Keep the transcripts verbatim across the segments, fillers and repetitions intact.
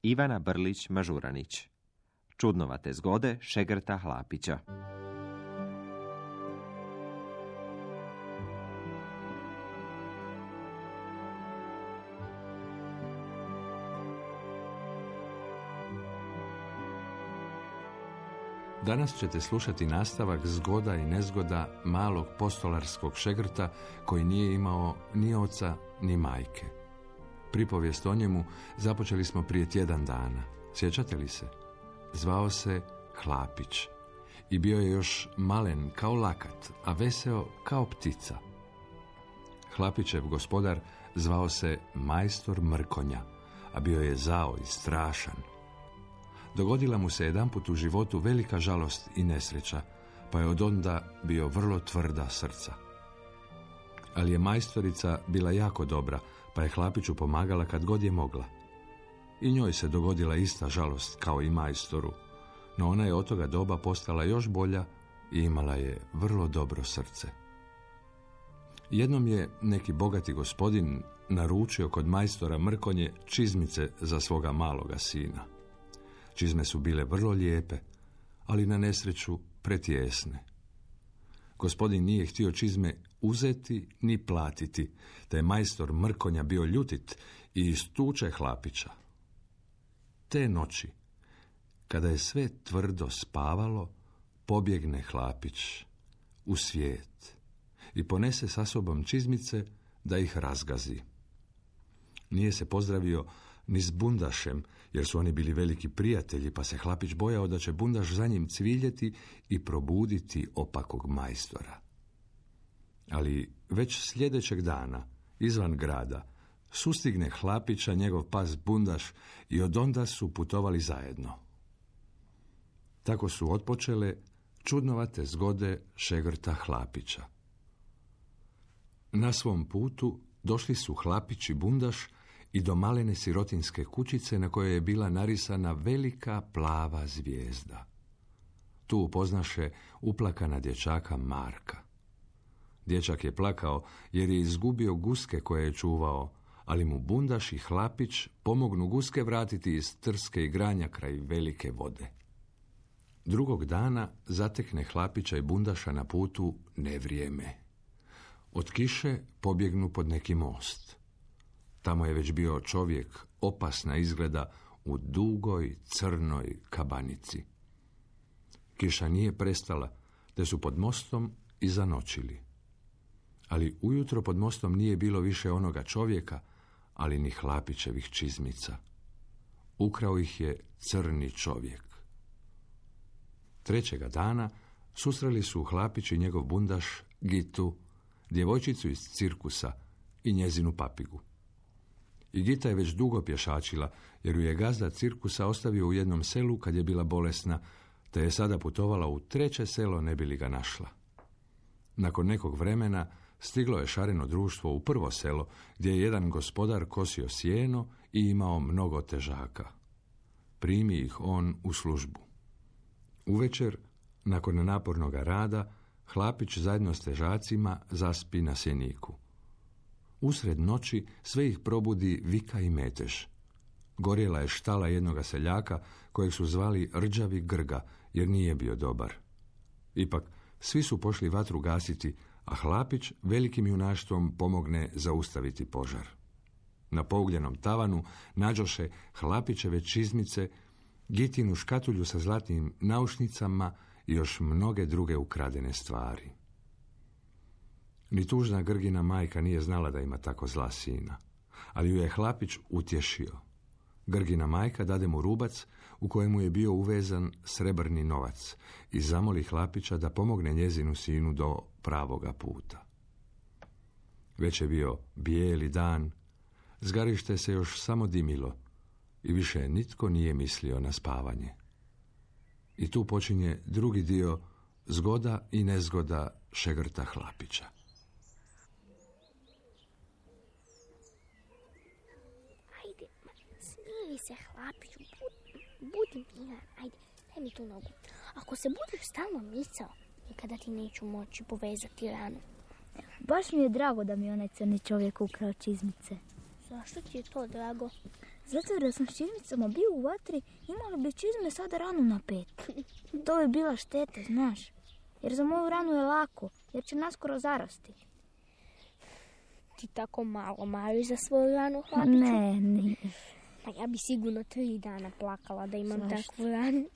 Ivana Brlić-Mažuranić. Čudnovate zgode Šegrta Hlapića. Danas ćete slušati nastavak zgoda i nezgoda malog postolarskog Šegrta koji nije imao ni oca ni majke. Pripovijest o njemu započeli smo prije tjedan dana. Sjećate li se? Zvao se Hlapić i bio je još malen kao lakat, a veseo kao ptica. Hlapićev gospodar zvao se majstor Mrkonja, a bio je zao i strašan. Dogodila mu se jedanput u životu velika žalost i nesreća, pa je odonda bio vrlo tvrda srca. Ali je majstorica bila jako dobra, pa je Hlapiću pomagala kad god je mogla. I njoj se dogodila ista žalost kao i majstoru, no ona je od toga doba postala još bolja i imala je vrlo dobro srce. Jednom je neki bogati gospodin naručio kod majstora Mrkonje čizmice za svoga maloga sina. Čizme su bile vrlo lijepe, ali na nesreću pretjesne. Gospodin nije htio čizme uzeti ni platiti, te je majstor Mrkonja bio ljutit i istuče Hlapića. Te noći, kada je sve tvrdo spavalo, pobjegne Hlapić u svijet i ponese sa sobom čizmice da ih razgazi. Nije se pozdravio ni s bundašem, jer su oni bili veliki prijatelji, pa se Hlapić bojao da će bundaš za njim cviljeti i probuditi opakog majstora. Ali već sljedećeg dana, izvan grada, sustigne Hlapića njegov pas bundaš i odonda su putovali zajedno. Tako su otpočele čudnovate zgode Šegrta Hlapića. Na svom putu došli su Hlapić i bundaš i do malene sirotinske kućice na kojoj je bila narisana velika plava zvijezda. Tu upoznaše uplakana dječaka Marka. Dječak je plakao jer je izgubio guske koje je čuvao, ali mu bundaš i Hlapić pomognu guske vratiti iz trske i granja kraj velike vode. Drugog dana zatekne Hlapića i bundaša na putu nevrijeme. Od kiše pobjegnu pod neki most. Tamo je već bio čovjek, opasna izgleda, u dugoj, crnoj kabanici. Kiša nije prestala, te su pod mostom i zanoćili. Ali ujutro pod mostom nije bilo više onoga čovjeka, ali ni Hlapićevih čizmica. Ukrao ih je crni čovjek. Trećega dana susreli su Hlapić i njegov bundaš Gitu, djevojčicu iz cirkusa i njezinu papigu. I Gita je već dugo pješačila, jer ju je gazda cirkusa ostavio u jednom selu kad je bila bolesna, te je sada putovala u treće selo ne bi li ga našla. Nakon nekog vremena stiglo je šareno društvo u prvo selo, gdje je jedan gospodar kosio sjeno i imao mnogo težaka. Primi ih on u službu. Uvečer, nakon napornog rada, Hlapić zajedno s težacima zaspi na sjeniku. Usred noći sve ih probudi vika i metež. Gorjela je štala jednoga seljaka kojeg su zvali Rđavi Grga, jer nije bio dobar. Ipak, svi su pošli vatru gasiti, a Hlapić velikim junaštvom pomogne zaustaviti požar. Na pougljenom tavanu nađoše Hlapićeve čizmice, Gitinu škatulju sa zlatnim naušnicama i još mnoge druge ukradene stvari. Ni tužna Grgina majka nije znala da ima tako zla sina, ali ju je Hlapić utješio. Grgina majka dade mu rubac u kojemu je bio uvezan srebrni novac i zamoli Hlapića da pomogne njezinu sinu do pravoga puta. Već je bio bijeli dan, zgarište se još samo dimilo i više nitko nije mislio na spavanje. I tu počinje drugi dio zgoda i nezgoda Šegrta Hlapića. Ajde, smiri se Hlapiću, budi, budi miran, ajde, daj mi tu nogu. Ako se budeš stalno micao, nikada ti neću moći povezati ranu. Baš mi je drago da mi onaj crni čovjek ukrao čizmice. Zašto ti je to drago? Zato jer da sam s čizmicama bio u vatri, imali bi čizme sada ranu na pet. To bi bila šteta, znaš. Jer za moju ranu je lako, jer će naskoro zarasti. Ti tako malo mariš za svoju ranu, Hlapiću? Ne, nije. Pa ja bi sigurno tri dana plakala da imam Zašto? takvu ranu.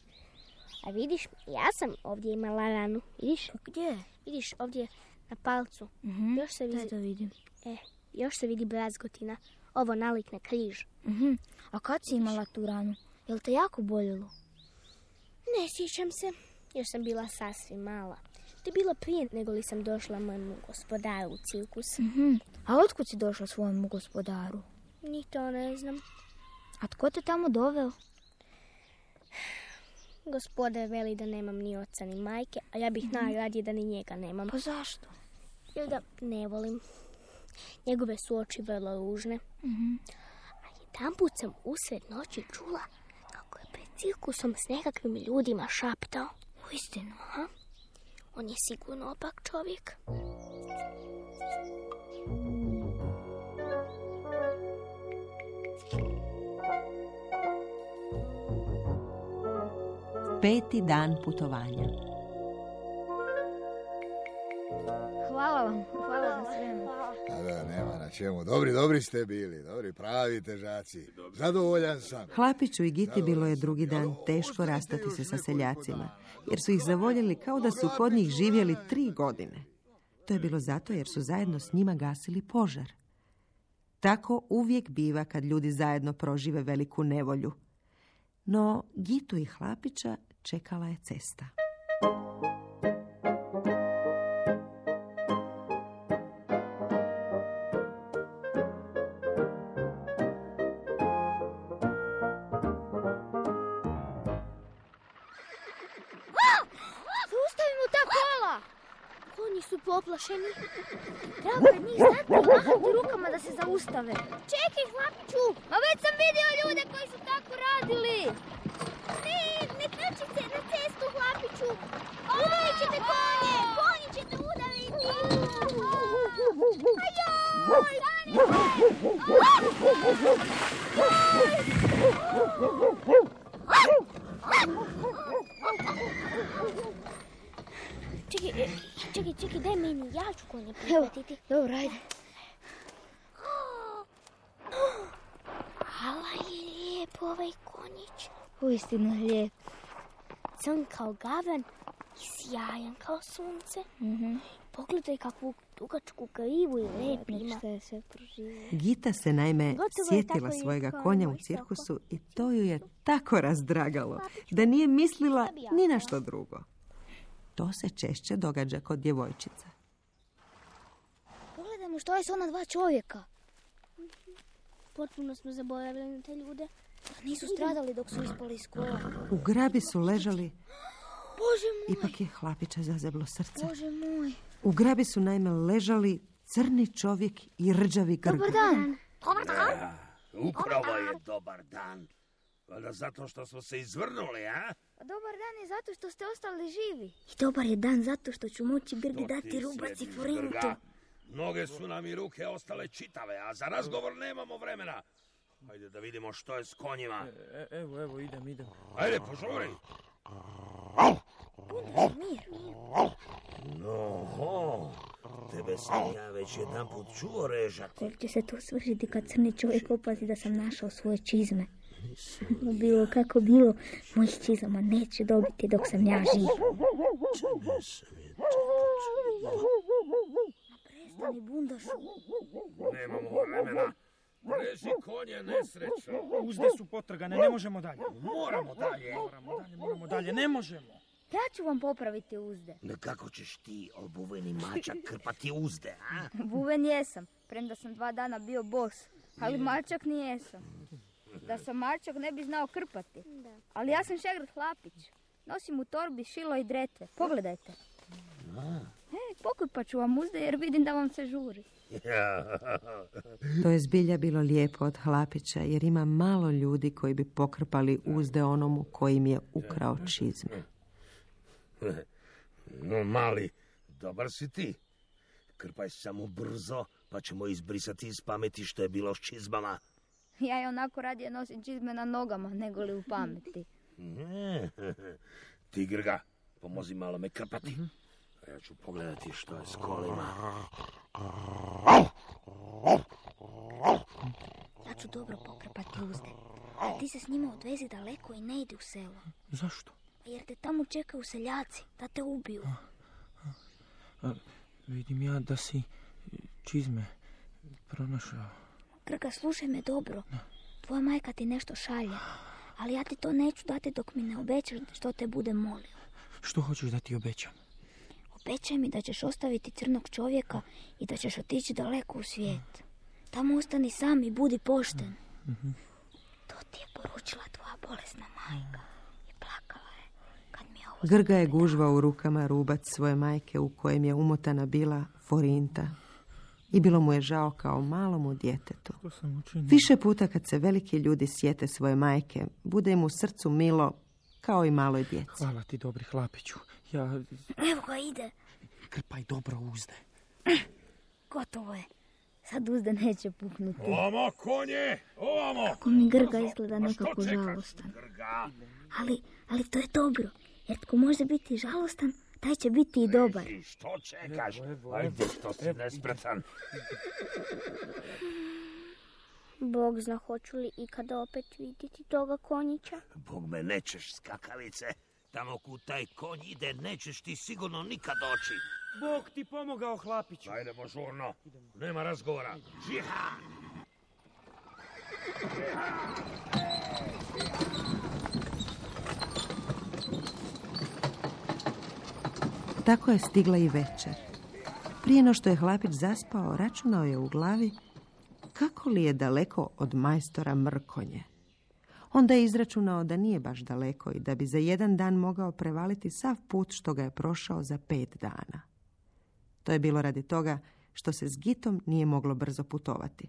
A vidiš, ja sam ovdje imala ranu. Vidiš? Pa gdje? Vidiš ovdje na palcu. Mhm. Još se Daj vidi, da vidim. e, još se vidi brazgotina. Ovo nalik na križ. Mhm. A kad si imala tu ranu? Jel te jako boljelo? Ne sjećam se, još sam bila sasvim mala. To je bilo prije nego li sam došla mojemu gospodaru u cirkus. Mhm. A otkud si došla svojemu gospodaru? Ni to ne znam. A tko te tamo doveo? Gospodar veli da nemam ni oca ni majke, a ja bih najradije da ni njega nemam. Pa zašto? Jer ga ne volim. Njegove su oči vrlo ružne. Mhm. A jedanput sam usred noći čula kako je pred cirkusom s nekakvim ljudima šaptao. Uistinu. Aha. On je sigurno opak čovjek. Peti dan putovanja. Hvala vam, hvala za svemu. A da, nema na čemu. Dobri, dobri ste bili, dobri, pravi težaci. Zadovoljan sam. Hlapiću i Giti bilo je drugi dan teško rastati se sa seljacima, jer su ih zavoljeli kao da su kod njih živjeli tri godine. To je bilo zato jer su zajedno s njima gasili požar. Tako uvijek biva kad ljudi zajedno prožive veliku nevolju. No Gitu i Hlapića čekala je cesta. Zaustavimo ta kola! Konji su poplašeni. Treba pred njih stati i mahati rukama da se zaustave. Čekaj, Hlapiću! Ma već sam vidio ljude koji su tako radili! Ne, ne trči se na cestu, Hlapiću! Udarit ćete konje! Konji ćete udariti! Ajoj! Čekaj, e, čekaj, čekaj, daj meni, ja ću konje prihvatiti. Dobro, ajde. Ala je lijep ovaj konjić. Uistinu je lijep. Crn kao gavan i sjajan kao sunce. Mhm. Pogledaj kakvu dugačku grivu i lep ima. Što je sve proživio. Gita se naime Gotovo je sjetila tako i svojega kao konja u moj cirkusu i to ju je tako razdragalo da nije mislila ni na što drugo. To se češće događa kod djevojčica. Pogledajmo što je s ona dva čovjeka. Potpuno smo zaboravili na te ljude. Nisu stradali dok su ispali iz kola. U grabi su ležali, Bože moj, ipak je Hlapića zazeblo srce. Bože moj. U grabi su naime ležali crni čovjek i rđavi grg. Dobar dan. Ja, upravo je dobar dan. Valjda zato što smo se izvrnuli, a? Dobar dan je zato što ste ostali živi. I dobar je dan zato što ću moći Grgi To dati ti rubac i sjedi, forintu. Grga. Noge su nam i ruke ostale čitave, a za razgovor nemamo vremena. Hajde da vidimo što je s konjima. E, evo, evo, idem, idem. Hajde, požuri. Mir. No, ho, tebe sam ja već jedan put čuo režati. Koliko će se to svršiti kad crni čovjek opazi da sam našao svoje čizme? Bilo kako bilo, mojih čizama neće dobiti dok sam ja živ. Čime sam je to Prestani, bundašu. Nemamo vremena. Reži konje, nesrećo. Uzde su potrgane, ne možemo dalje. Moramo dalje. Moramo dalje, moramo dalje, ne možemo. Ja ću vam popraviti uzde. Kako ćeš ti, obuveni mačak, krpati uzde, a? Buven jesam, premda sam dva dana bio bos. Ali mačak nijesam. Da sam mačak ne bi znao krpati. Ali ja sam Šegrt Hlapić. Nosim u torbi šilo i dretve. Pogledajte. E, pokrpat ću vam uzde jer vidim da vam se žuri. To je zbilja bilo lijepo od Hlapića jer ima malo ljudi koji bi pokrpali uzde onomu koji im je ukrao čizme. No, mali, dobar si ti. Krpaj samo brzo, pa ćemo izbrisati iz pameti što je bilo s čizmama. Ja je onako radije nosim čizme na nogama, nego li u pameti. Ne, ti Grga, pomozi malo me krpati. A ja ću pogledati što je s kolima. Ja ću dobro pokrpati uzde. A ti se s njima odvezi daleko i ne idi u selo. Zašto? Jer te tamo čekaju seljaci, da te ubiju. A, a, vidim ja da si čizme pronašao. Grga, slušaj me dobro. Tvoja majka ti nešto šalje. Ali ja ti to neću dati dok mi ne obećaš što te bude molio. Što hoćeš da ti obećam? Obećaj mi da ćeš ostaviti crnog čovjeka i da ćeš otići daleko u svijet. Tamo ostani sam i budi pošten. Mm-hmm. To ti je poručila tvoja bolesna majka. I plakala je kad mi je ovo... Grga je gužvao u rukama rubac svoje majke u kojem je umotana bila forinta. I bilo mu je žao kao malomu djetetu. Više puta kad se veliki ljudi sjete svoje majke, bude im u srcu milo kao i maloj djeci. Hvala ti, dobri hlapiću. Ja... Evo ga ide. Krpaj dobro uzde. Gotovo je. Sad uzde neće puknuti. Ovamo, konje! Ovamo! Kako mi Grga izgleda nekako žalostan. Ali, ali to je dobro. Jer tko može biti žalostan, taj će biti i dobar. Što čekaš? Ajde, što si nespretan. Bog zna hoću li ikada opet vidjeti toga konjića. Bog me nećeš, skakavice. Tamo kud taj konj ide, nećeš ti sigurno nikad doći. Bog ti pomogao, hlapiću. Ajdemo žurno. Nema razgovora. Žiha! Tako je stigla i večer. Prije no što je hlapić zaspao, računao je u glavi kako li je daleko od majstora Mrkonje. Onda je izračunao da nije baš daleko i da bi za jedan dan mogao prevaliti sav put što ga je prošao za pet dana. To je bilo radi toga što se s Gitom nije moglo brzo putovati.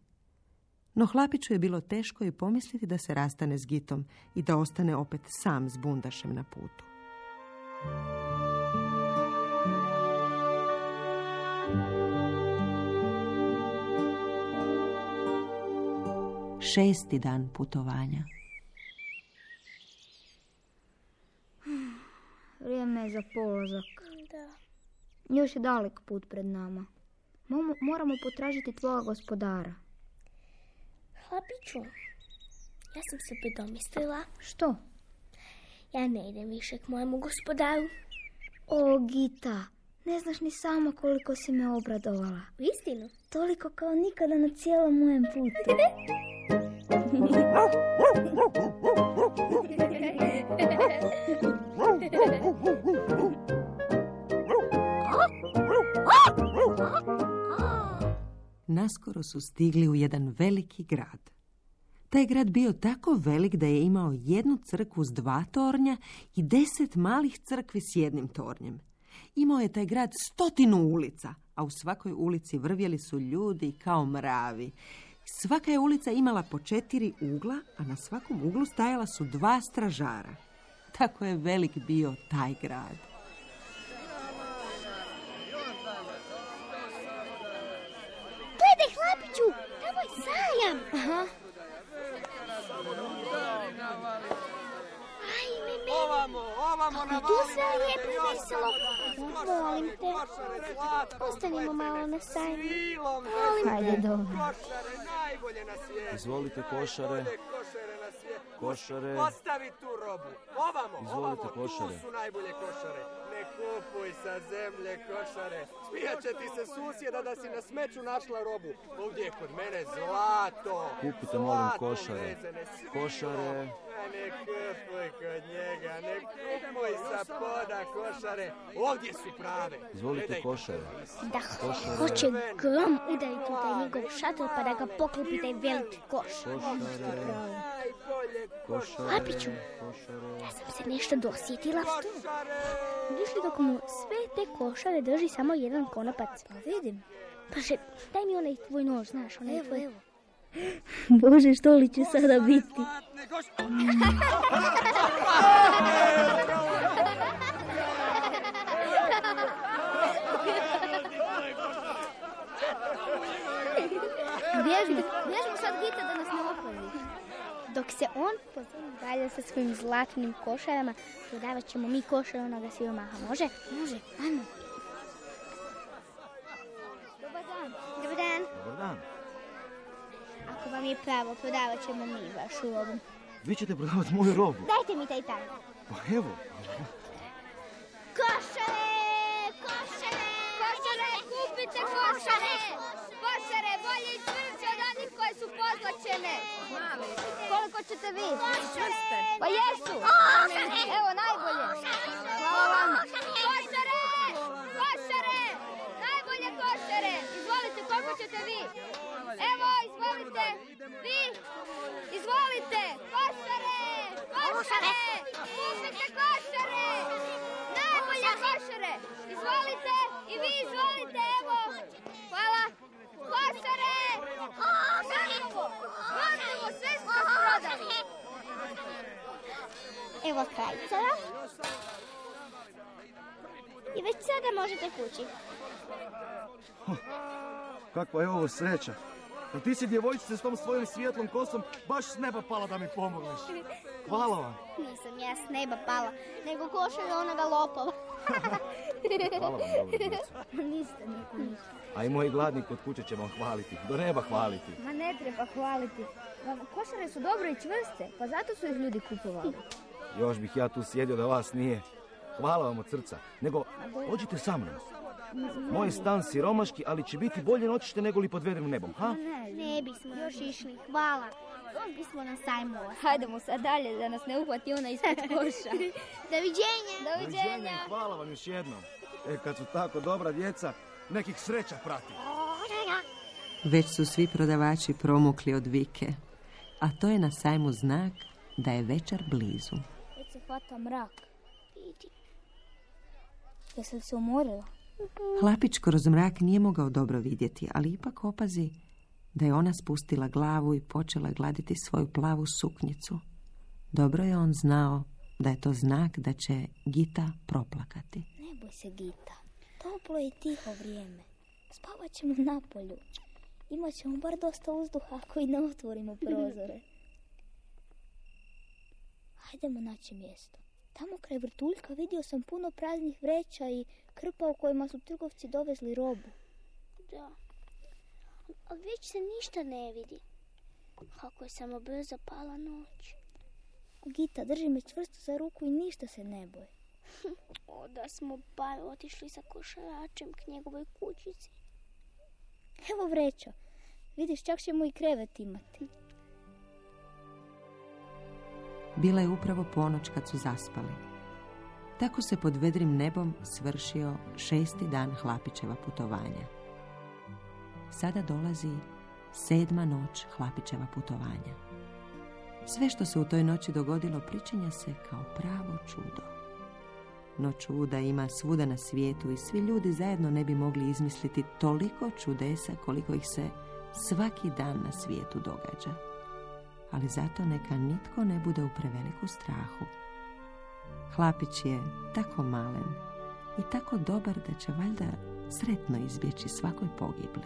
No hlapiću je bilo teško i pomisliti da se rastane s Gitom i da ostane opet sam s bundašem na putu. Šesti dan putovanja. Vrijeme je za polazak. Da. Još je dalek put pred nama. Momo, moramo potražiti tvoga gospodara. Hlapiću, ja sam se predomislila. Što? Ja ne idem više k mojemu gospodaru. O, Gita, ne znaš ni sama koliko si me obradovala. U istinu? Toliko kao nikada na cijelom mojem putu. Naskoro su stigli u jedan veliki grad. Taj grad bio tako velik da je imao jednu crkvu s dva tornja i deset malih crkvi s jednim tornjem. Imao je taj grad stotinu ulica, a u svakoj ulici vrvjeli su ljudi kao mravi. Svaka je ulica imala po četiri ugla, a na svakom uglu stajala su dva stražara. Tako je velik bio taj grad. Gledaj, hlapiću, tamo je sajam. Aha. Ajme, meni. Ovamo, ovamo na Tu sve lijepo i veselo. Molim te, ostanimo malo na sajmu. Hajde, dobro. Košare, najbolje na svijetu. Izvolite košare. Najbolje košare na svijetu. Košare. Ostavi tu robu. Ovamo, Izvolite ovamo, košare. tu su najbolje košare. Ne kupuj sa zemlje košare. Smijat će ti se susjeda da si na smeću našla robu. Ovdje je kod mene zlato. Kupite, molim, Zlato košare. vezene, svilo. Košare. A ne kupuj kod njega, ne kupuj sa poda košare. Ovdje su prave. Izvolite Gledaj. košare. Da hoće grom udariti u taj njegov šator pa da ga poklopi taj veliki koš. Košare. Košare. Hlapiću, Košare. ja sam se nešto dosjetila. Vidiš li dok mu sve te košare drži samo jedan konopac? Pa vidim. Paže, daj mi onaj tvoj nož, znaš, onaj Evo, tvoj... evo. Bože, što li će sada biti? Bježimo, bježimo sad, Gita, da nas ne opali. se on pozove dalje sa svojim zlatnim košarama, prodavat ćemo mi košar onoga siromaha. Može? Može. Ajmo. Dobar dan. Dobar dan. Dobar dan. Ako vam je pravo, prodavat ćemo mi vašu robu. Vi ćete prodavati moju robu? Dajte mi taj tamo. Pa evo. Košare! Košare! Košare, kupite košare! Košare, bolje i čvršće od onih koje su pozlačene. Koliko ćete vi? Čvrste. Pa jesu. Evo, najbolje. Hvala vama. Košare! Košare! Najbolje košare! Izvolite, koliko ćete vi? Evo, izvolite. Vi? Izvolite. Košare! Košare! Kupite košare! Najbolje košare! Izvolite. I vi izvolite, evo. Hvala. Košare! Gotovo! Gotovo, sve smo prodali. Evo krajicara. I već sada možete kući. Kakva je ovo sreća. A ti si djevojčice s tom svojom svijetlom kosom baš s neba pala da mi pomogneš. Hvala vam. Nisam ja s neba pala, nego košar onoga lopova. Hvala vam, dobro djeco. Ništa, ništa, ništa. A i moji gladni kod kuće će vam hvaliti. Do neba hvaliti. Ma ne treba hvaliti. Košare su dobro i čvrste, pa zato su ih ljudi kupovali. Još bih ja tu sjedio da vas nije. Hvala vam od srca. Nego, ođite sa mnom. Moj stan siromaški, ali će biti bolje noćište nego li pod vedrim nebom, ha? Ne, ne bismo još išli, hvala. On bismo na sajmu. Hajdemo sad dalje da nas ne uhvati ona ispod koša. Doviđenja. Doviđenja. i hvala vam još jednom. E, kad su tako dobra djeca, nekih sreća prati. Već su svi prodavači promukli od vike, a to je na sajmu znak da je večer blizu. Već se hvata mrak. Jesi li se umorila? Hlapić kroz mrak nije mogao dobro vidjeti, ali ipak opazi da je ona spustila glavu i počela gladiti svoju plavu suknjicu. Dobro je on znao da je to znak da će Gita proplakati. Ne boj se, Gita. Toplo je tiho vrijeme. Spavat ćemo na polju. Imat ćemo bar dosta uzduha ako i ne otvorimo prozore. Hajdemo naći mjesto. Tamo kraj vrtuljka vidio sam puno praznih vreća i krpa u kojima su trgovci dovezli robu. Da, ali već se ništa ne vidi. Kako je samo brzo pala noć. Gita, drži me čvrsto za ruku i ništa se ne boji. O, da smo bar otišli sa košaračem k njegovoj kućici. Evo vreća. Vidiš, čak ćemo i krevet imati. Bila je upravo ponoć kad su zaspali. Tako se pod vedrim nebom svršio šesti dan Hlapićeva putovanja. Sada dolazi sedma noć Hlapićeva putovanja. Sve što se u toj noći dogodilo pričinja se kao pravo čudo. No čuda ima svuda na svijetu i svi ljudi zajedno ne bi mogli izmisliti toliko čudesa koliko ih se svaki dan na svijetu događa. Ali zato neka nitko ne bude u preveliku strahu. Hlapić je tako malen i tako dobar da će valjda sretno izbjeći svakoj pogibli.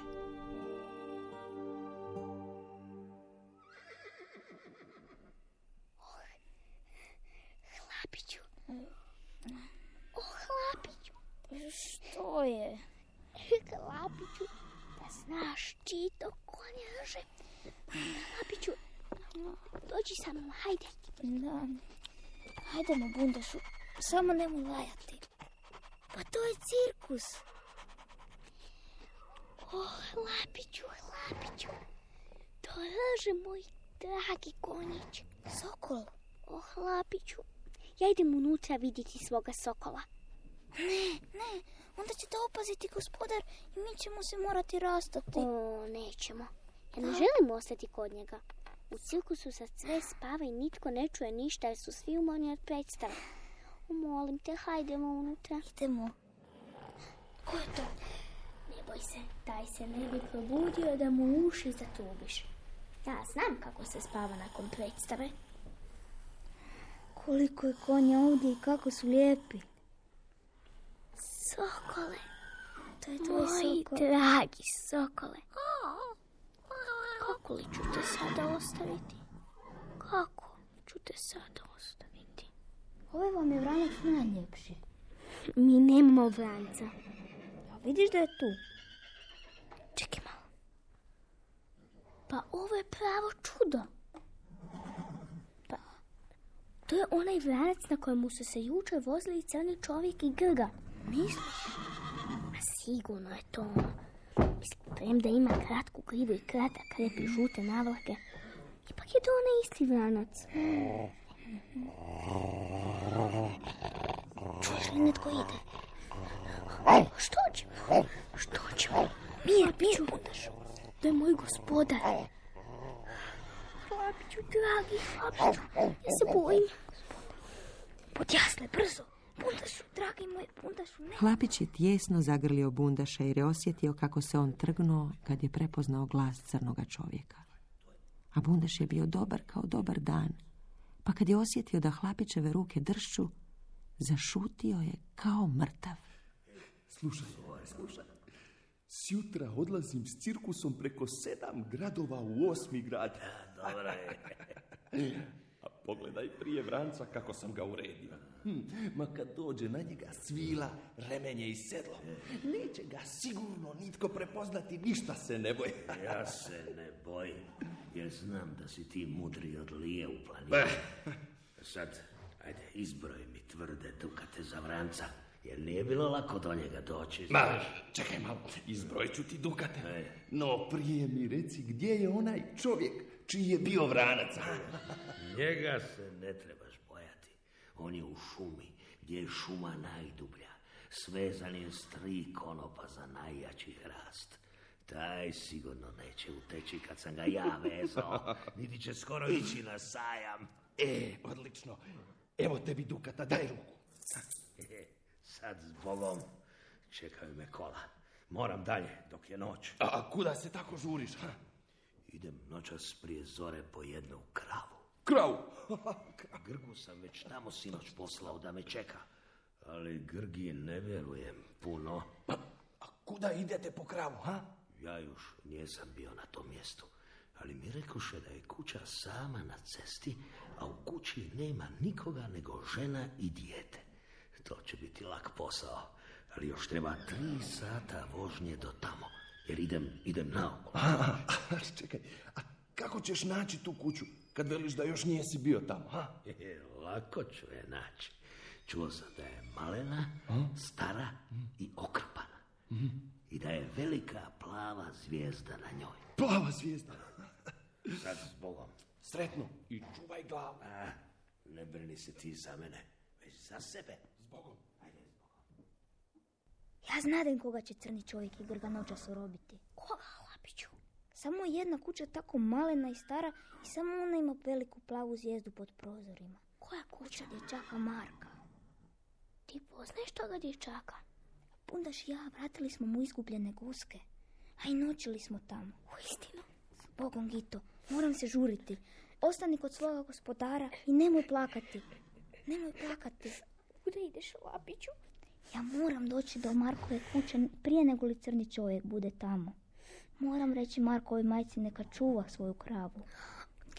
Hlapiću. O, Hlapiću. Što je? Hlapiću, da znaš čito konjaže. Hlapiću, dođi sa mnom, hajde. Da. Hajdemo, bundašu. Samo nemoj lajati. Pa to je cirkus. O, Hlapiću, Hlapiću. Dolaže moj dragi konjić. Sokol. O, Hlapiću, ja idem unutra vidjeti svoga sokola. Ne, ne, onda će te opaziti gospodar i mi ćemo se morati rastati. O, nećemo. Ja ne želim ostati kod njega. U cirkusu sad sve spava i nitko ne čuje ništa jer su svi umorni od predstave. O, molim te, hajdemo unutra. Idemo. Ko je to? Ne boj se, taj se ne bi probudio da mu uši zatubiš. Ja znam kako se spava nakon predstave. Koliko je konja ovdje i kako su lijepi. Sokole. To je tvoj Moji sokol. dragi sokole. Kako li ću te sada ostaviti? Kako? ću te sada ostaviti. Ovaj vam je vranac najljepši. Mi nemamo vranca. A vidiš da je tu? Čekaj malo. Pa ovo je pravo čudo. Pa, to je onaj vranac na kojemu su se jučer vozili crni čovjek i Grga. Misliš? Ma sigurno je to ono. Mislim, premda ima kratku grivu i kratak rep i žute navlake. Ipak je to onaj isti vranac. Čuješ li netko ide? Što će? Što će? Mir, mir, bundašu. To je moj gospodar. Hlapiću, dragi, Hlapiću, ja se bojim. Budi jasle, brzo. Bundašu, dragi moj, bundašu, ne. Hlapić je tijesno zagrlio bundaša jer je osjetio kako se on trgnuo kad je prepoznao glas crnoga čovjeka. A bundaš je bio dobar kao dobar dan, pa kad je osjetio da Hlapićeve ruke dršću, zašutio je kao mrtav. Slušaj, slušaj. Sjutra odlazim s cirkusom preko sedam gradova u osmi grad. Dobro je. A pogledaj prije vranca kako sam ga uredio. Hm, ma kad dođe na njega svila, remenje i sedlo, neće ga sigurno nitko prepoznati, ništa se ne boji. Ja se ne bojim, jer znam da si ti mudri od lije u planini. Sad, ajde, izbroj mi tvrde dukate za vranca, jer nije bilo lako do njega doći. Ma, čekaj malo, izbrojit ću ti dukate. Ej. No, prije mi reci gdje je onaj čovjek čiji je bio vranac. Njega se ne trebaš bojati. On je u šumi, gdje je šuma najdublja. Svezan je s tri konopa za najjači hrast. Taj sigurno neće uteći kad sam ga ja vezao. Niti će skoro ići na sajam. E, odlično. Evo tebi dukata, daj ruku. Sad s Bogom čekaju me kola. Moram dalje dok je noć. A kuda se tako žuriš? Ha? Idem noćas prije zore po jednu kravu. Kravu? Grgu sam već tamo sinoć poslao da me čeka. Ali Grgi ne vjerujem puno. A, a kuda idete po kravu, ha? Ja još nisam bio na tom mjestu. Ali mi rekoše da je kuća sama na cesti, a u kući nema nikoga nego žena i dijete. To će biti lak posao, ali još treba tri sata vožnje do tamo, jer idem, idem naokolo. A, a, čekaj, a kako ćeš naći tu kuću, kad veliš da još nijesi bio tamo, ha? E, lako ću je naći. Čuo sam da je malena, a? stara i okrpana. Mm. I da je velika plava zvijezda na njoj. Plava zvijezda? Sad s Bogom. Sretno i čuvaj glavu. A, ne brini se ti za mene, već za sebe. S Bogom. Ajde, s Bogom. Ja znadem koga će crni čovjek i Grga noćas orobiti. Koga, Hlapiću? Samo jedna kuća tako malena i stara i samo ona ima veliku plavu zvijezdu pod prozorima. Koja kuća? Dječaka Marka. Ti poznaješ toga dječaka? Bundaš i ja vratili smo mu izgubljene guske, a i noćili smo tamo. Uistinu? S Bogom, Gito, moram se žuriti. Ostani kod svoga gospodara i nemoj plakati. Nemoj plakati. Kuda ideš, Hlapiću? Ja moram doći do Markove kuće prije nego li crni čovjek bude tamo. Moram reći Markovoj majci neka čuva svoju kravu.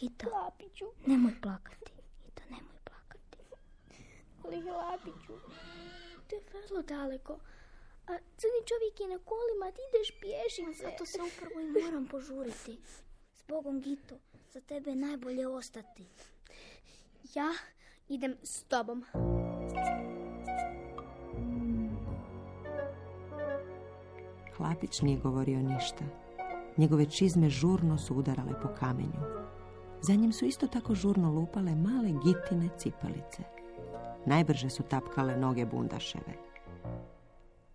Gito, Hlapiću, nemoj plakati. Gito, nemoj plakati. Ali Hlapiću, to je vrlo daleko. A crni čovjek je na kolima, ti ideš pješice. Zato se upravo i moram požuriti. S Bogom, Gito, za tebe je najbolje ostati. Ja idem s tobom. Hlapić nije govorio ništa. Njegove čizme žurno su udarale po kamenju. Za njim su isto tako žurno lupale male Gitine cipelice. Najbrže su tapkale noge bundaševe.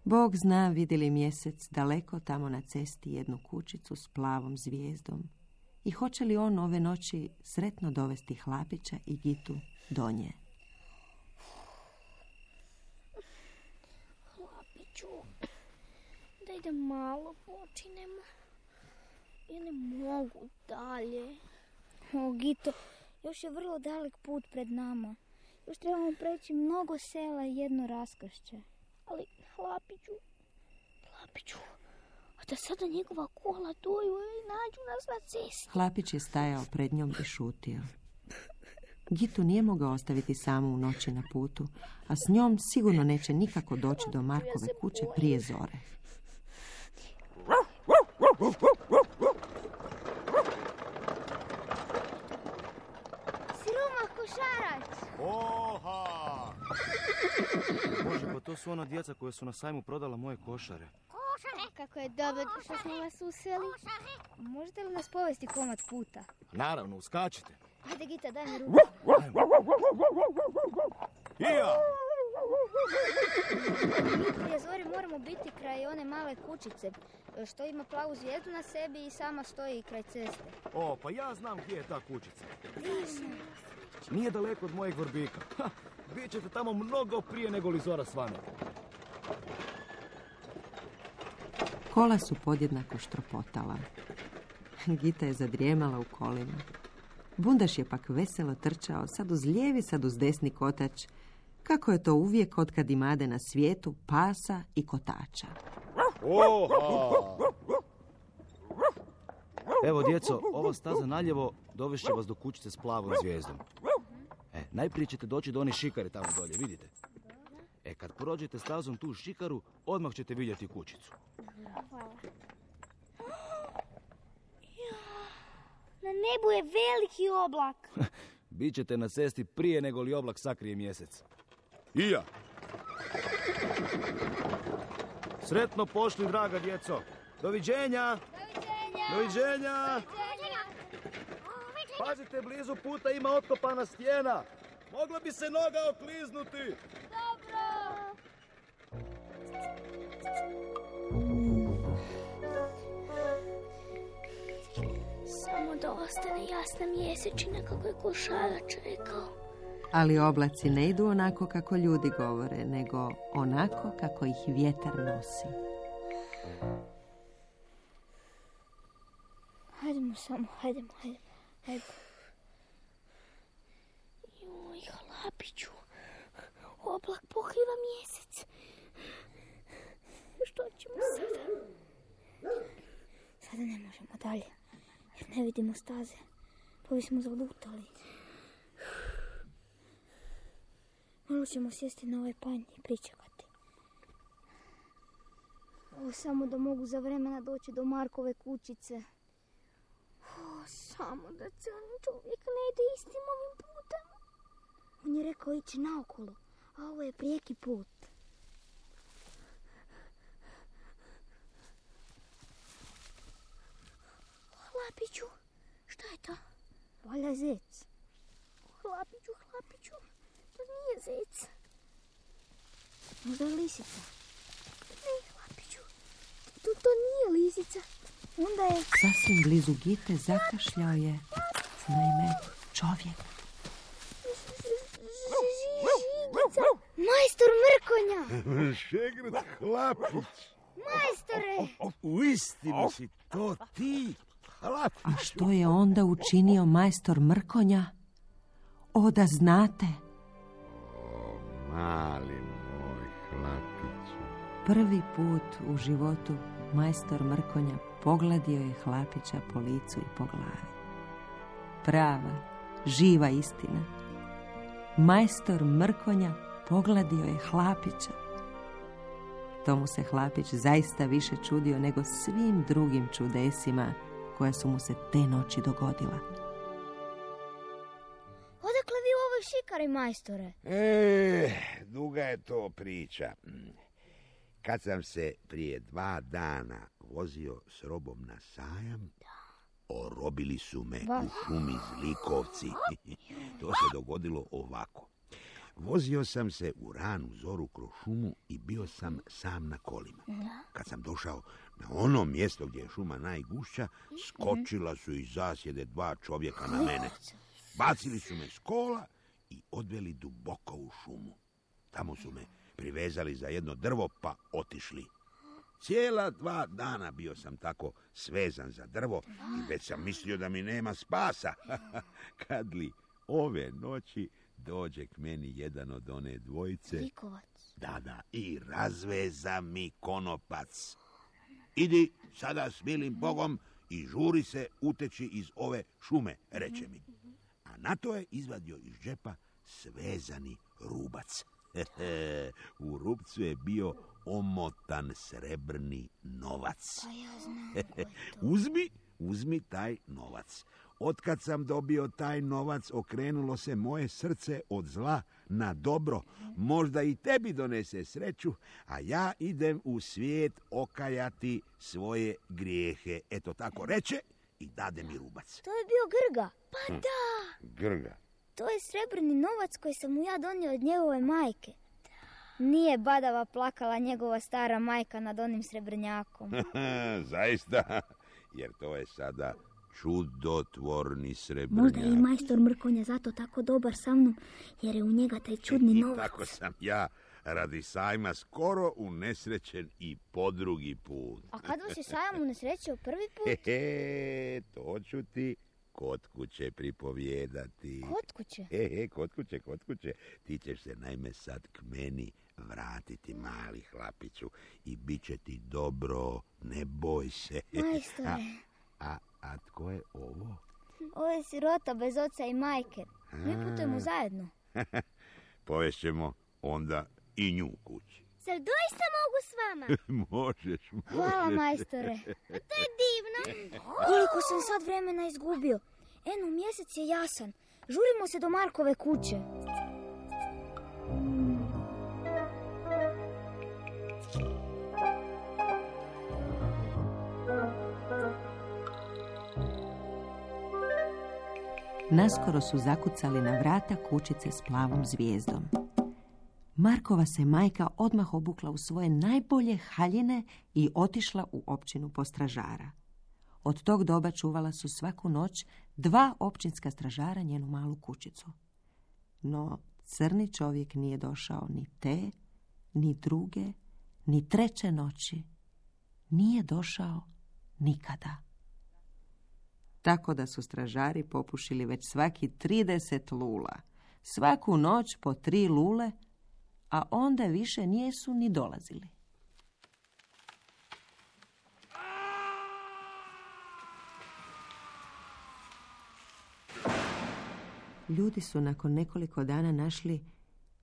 Bog zna vidi li mjesec daleko tamo na cesti jednu kućicu s plavom zvijezdom i hoće li on ove noći sretno dovesti Hlapića i Gitu do nje. Hlapiću, da idem malo počinem. Ja ne mogu dalje. O, Gito, još je vrlo dalek put pred nama. Još trebamo preći mnogo sela i jedno raskršće. Ali, Hlapiću, Hlapiću, a da sada njegova kola doju i nađu nas na cesti. Hlapić je stajao pred njom i šutio. Gitu nije mogao ostaviti samu u noći na putu, a s njom sigurno neće nikako doći do Markove kuće prije zore. Siroma košarac! Oha! Bože, pa to su ona djeca koje su na sajmu prodala moje košare. Kako je dobro što smo vas usreli. Možete li nas povesti komad puta? Naravno, uskačite. Ajde, Gita, daj mi ruku. Ija! Prije zori moramo biti kraj one male kućice, što ima plavu zvijezdu na sebi i sama stoji kraj ceste. O, pa ja znam gdje je ta kućica. Nije daleko od mojeg Vrbika. Ha, bit ćete tamo mnogo prije nego li zora svane. Kola su podjednako štropotala. Gita je zadrijemala u kolima. Bundaš je pak veselo trčao, sad uz lijevi, sad uz desni kotač, kako je to uvijek otkad imade na svijetu pasa i kotača. Oha! Evo, djeco, ova staza naljevo dovešće vas do kućice s plavom zvijezdom. E, najprije ćete doći do one šikare tamo dolje, vidite? E, kad prođete stazom tu šikaru, odmah ćete vidjeti kućicu. Hvala. Na nebu je veliki oblak. Bićete na cesti prije nego li oblak sakrije mjesec. I ja. Sretno pošli, draga djeco. Doviđenja. Doviđenja. Doviđenja. Pazite, blizu puta ima otkopana stijena. Mogla bi se noga okliznuti. Dobro. Samo da ostane jasna mjesečina kako je košarač rekao. Ali oblaci ne idu onako kako ljudi govore, nego onako kako ih vjetar nosi. Hajdemo samo, hajdemo, hajdemo, hajdemo. Joj, Hlapiću, oblak pokriva mjesec. Što ćemo sada? Sada ne možemo dalje, jer ne vidimo staze. Pa bismo zalutali. Malo ćemo sjesti na ovaj panj i pričekati. O, samo da mogu za vremena doći do Markove kućice. O, samo da crni čovjek ne ide istim ovim putem. On je rekao ići naokolo, a ovo je prijeki put. Hlapiću, šta je to? Valja zec. Hlapiću, Hlapiću, to nije zec. Možda je lisica. Ne, Hlapiću, to, to nije lisica. Onda je... Sasvim blizu Gite zakašljao je, naime, čovjek. Žigica, majstor Mrkonja. Šegrt Hlapić. Majstore. Uistinu si to ti, Hlapiću. A što je onda učinio majstor Mrkonja? O, da znate. O, mali moj Hlapiću. Prvi put u životu majstor Mrkonja pogladio je Hlapića po licu i po glavi. Prava, živa istina. Majstor Mrkonja pogladio je Hlapića. Tomu se Hlapić zaista više čudio nego svim drugim čudesima koja su mu se te noći dogodila. Odakle vi u ovoj šikari, majstore? E, duga je to priča. Kad sam se prije dva dana vozio s robom na sajam, orobili su me u šumi zlikovci. To se dogodilo ovako. Vozio sam se u ranu zoru kroz šumu i bio sam sam na kolima. Kad sam došao na ono mjesto gdje je šuma najgušća, skočila su iz zasjede dva čovjeka na mene. Bacili su me s kola i odveli duboko u šumu. Tamo su me privezali za jedno drvo pa otišli. Cijela dva dana bio sam tako svezan za drvo i već sam mislio da mi nema spasa. Kad li ove noći dođe k meni jedan od one dvojice. Likovac. Da, da, i razveza mi konopac. Idi sada s milim Bogom i žuri se uteći iz ove šume, reče mi. A na to je izvadio iz džepa svezani rubac. U rupcu je bio omotan srebrni novac. Uzmi, uzmi taj novac. Otkad sam dobio taj novac, okrenulo se moje srce od zla na dobro. Možda i tebi donese sreću, a ja idem u svijet okajati svoje grijehe. Eto tako reče i dade mi rubac. To je bio Grga. Pa da! Grga. To je srebrni novac koji sam mu ja donio od njegove majke. Nije badava plakala njegova stara majka nad onim srebrnjakom. Zaista, jer to je sada čudotvorni srebrnjak. Možda je i majstor Mrkonja zato tako dobar sa mnom, jer je u njega taj čudni I novac. tako sam ja radi sajma skoro unesrećen i po drugi put. A kad vas je sajam unesrećio prvi put? Hehe, to ću ti kod kuće pripovijedati. Kod kuće? Hehe, kod kuće, kod kuće. Ti ćeš se naime sad k meni vratiti, mali hlapiću, i bit će ti dobro, ne boj se. Majstore. A, a, a tko je ovo? Ovo je sirota bez oca i majke. Mi putujemo zajedno. Povest ćemo onda i nju kući. Zar doista mogu s vama? Možeš, možeš. Hvala, majstore. To je divno. Koliko sam sad vremena izgubio. Eno, mjesec je jasan. Žurimo se do Markove kuće. Naskoro su zakucali na vrata kućice s plavom zvijezdom. Markova se majka odmah obukla u svoje najbolje haljine i otišla u općinu po stražara. Od tog doba čuvala su svaku noć dva općinska stražara njenu malu kućicu. No crni čovjek nije došao ni te, ni druge, ni treće noći. Nije došao nikada. Tako da su stražari popušili već svaki trideset lula. Svaku noć po tri lule, a onda više nijesu ni dolazili. Ljudi su nakon nekoliko dana našli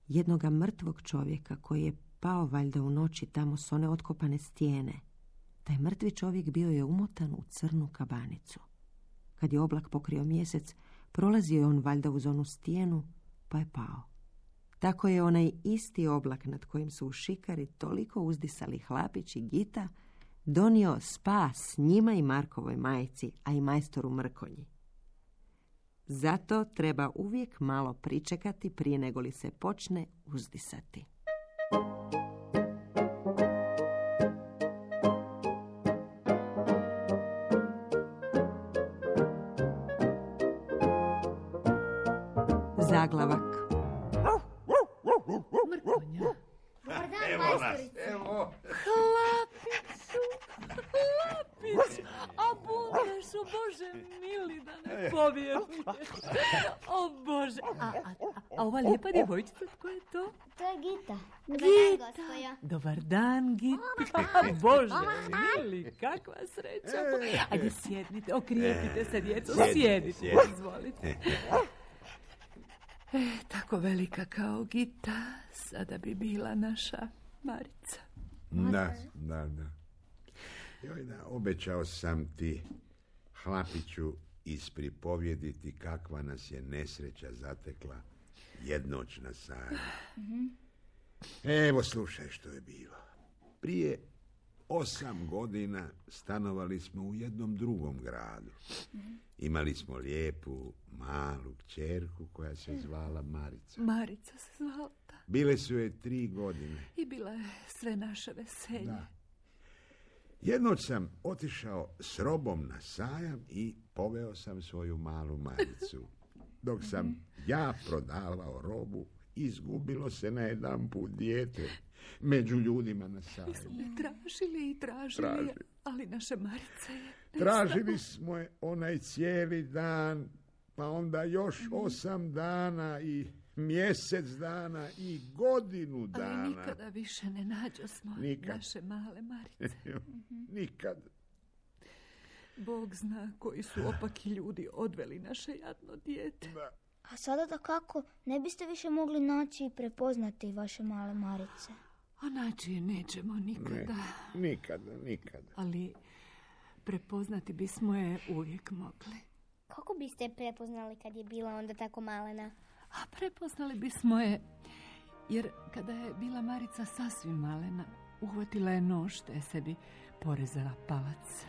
jednoga mrtvog čovjeka koji je pao valjda u noći tamo s one otkopane stijene. Taj mrtvi čovjek bio je umotan u crnu kabanicu. Kad je oblak pokrio mjesec, prolazio je on valjda uz onu stijenu, pa je pao. Tako je onaj isti oblak nad kojim su u šikari toliko uzdisali Hlapić i Gita donio spas njima i Markovoj majci, a i majstoru Mrkonji. Zato treba uvijek malo pričekati prije nego li se počne uzdisati. Zaglavak. Mrkonja. Dobar dan, Evo nas, evo. Hlapiću, Hlapiću, a budeš, o Bože mili, da ne povjeruješ. O Bože, a, a, a ova lijepa djevojčica, tko je to? To je Gita. Gita. Dobar dan, Gita. Bože mili, kakva sreća. Ajde, sjednite, okrijepite se, djeco, sjedite, izvolite. E, tako velika kao Gita, sada bi bila naša Marica. Da, da, da. Joj, da, obećao sam ti, Hlapiću, ispripovjediti kakva nas je nesreća zatekla jednoć na sajmu. Evo, slušaj što je bilo. Prije osam godina stanovali smo u jednom drugom gradu. Imali smo lijepu, malu kćerku koja se zvala Marica. Marica se zvala. Bile su je tri godine. I bila je sve naše veselje. Da. Jednoć sam otišao s robom na sajam i poveo sam svoju malu Maricu. Dok sam ja prodavao robu, izgubilo se na jedan put dijete među ljudima na sajmu. Mi smo je tražili i tražili, Traži. ali naša Marica je... Tražili smo je onaj cijeli dan, pa onda još osam dana i mjesec dana i godinu dana. Ali nikada više ne nađo smo Nikad. naše male Marice. Nikad. Bog zna koji su opaki ljudi odveli naše jadno dijete. Da. A sada da kako ne biste više mogli naći i prepoznati vaše male Marice? A naći je nećemo nikada. Ne, nikada, nikada. Ali prepoznati bismo je uvijek mogli. Kako biste je prepoznali kad je bila onda tako malena? A prepoznali bismo je, jer kada je bila Marica sasvim malena, uhvatila je nož te je sebi porezala palac.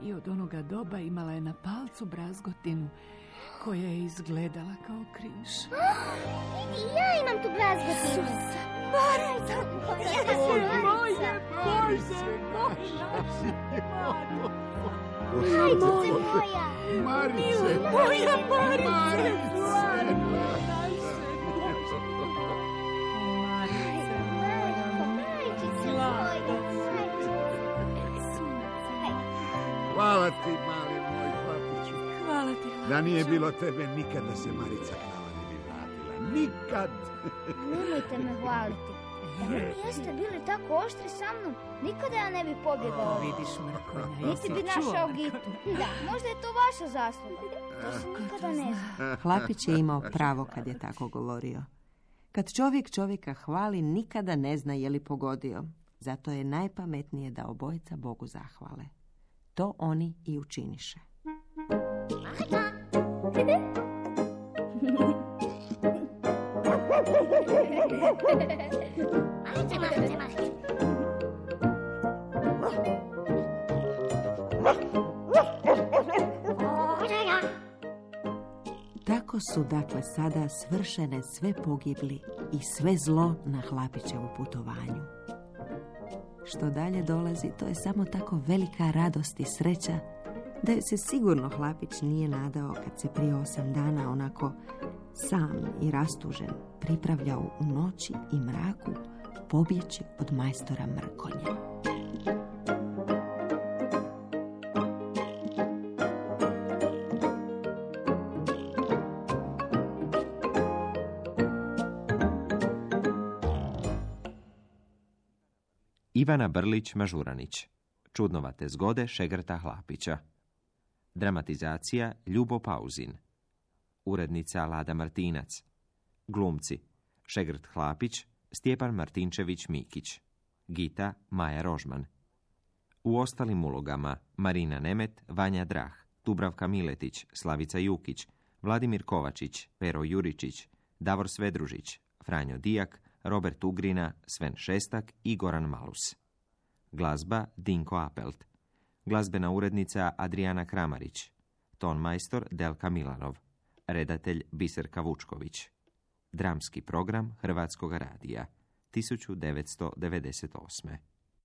I od onoga doba imala je na palcu brazgotinu koja je izgledala kao križ. I ja imam tu brazgotinu. Marica! Marica! Moje, Bože, Majčice moja! Marice! Moja Marice! Hvala ti, mali moj hlapiću. Hvala ti, hlapiću. Da nije bilo tebe, nikada se Marica k nama ne bi vratila. Nikad! Nemojte me hvaliti. Da vi jeste bili tako oštri sa mnom, nikada ja ne bi pobjegao. Vidiš, Mrkonja, Niti bi našao Gitu. Da, možda je to vaša zasluga. To se nikada ne zna. Hlapić je imao pravo kad je tako govorio. Kad čovjek čovjeka hvali, nikada ne zna je li pogodio. Zato je najpametnije da obojica Bogu zahvale. To oni i učiniše. Tako su dakle sada svršene sve pogibli i sve zlo na Hlapićevu putovanju. Što dalje dolazi, to je samo tako velika radost i sreća da joj se sigurno Hlapić nije nadao kad se prije osam dana onako sam i rastužen pripravljao u noći i mraku pobjeći od majstora Mrkonja. Ivana Brlić-Mažuranić. Čudnovate zgode Šegrta Hlapića. Dramatizacija Ljubo Pauzin. Urednica Lada Martinac. Glumci Šegrt Hlapić, Stjepan Martinčević-Mikić. Gita Maja Rožman. U ostalim ulogama Marina Nemet, Vanja Drah, Dubravka Miletić, Slavica Jukić, Vladimir Kovačić, Pero Juričić, Davor Svedružić, Franjo Dijak, Robert Ugrina, Sven Šestak i Goran Malus. Glazba Dinko Apelt. Glazbena urednica Adriana Kramarić. Ton majstor Delka Milanov. Redatelj Biserka Vučković. Dramski program Hrvatskog radija tisuću devetsto devedeset osme.